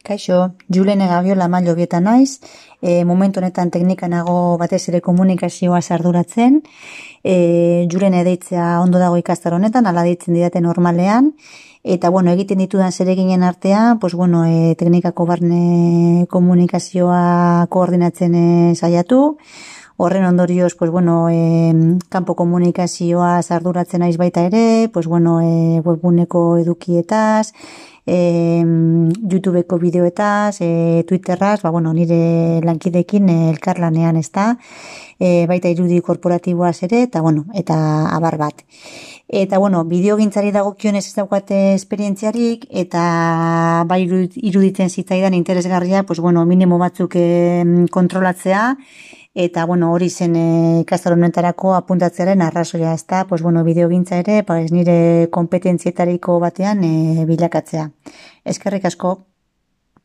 Kaixo, Julen Gabiola Mailobieta naiz, momentu honetan teknika nago batez ere komunikazioa arduratzen. Julen deitzea ondo dago ikastaro honetan, ala deitzen didate normalean, eta egiten ditudan zereginen artean, teknikako barne komunikazioa koordinatzen saiatu. Horren ondorioz, kanpo komunikazioa arduratzen naiz baita ere, webguneko edukietaz, YouTubeko bideoetaz, Twitterraz, nire lankidekin elkarlanean ezta, baita irudi korporatiboaz ere, eta abar bat. Eta, bideogintzari dagokionez ez daukate esperientziarik, eta bai iruditzen zitzaidan interesgarria, minimo batzuk kontrolatzea, eta, hori zen ikastaro honetarako apuntatzearen arrazoia, ezta, bideogintza ere, nire kompetentzietariko batean bilakatzea. Eskerrik asko.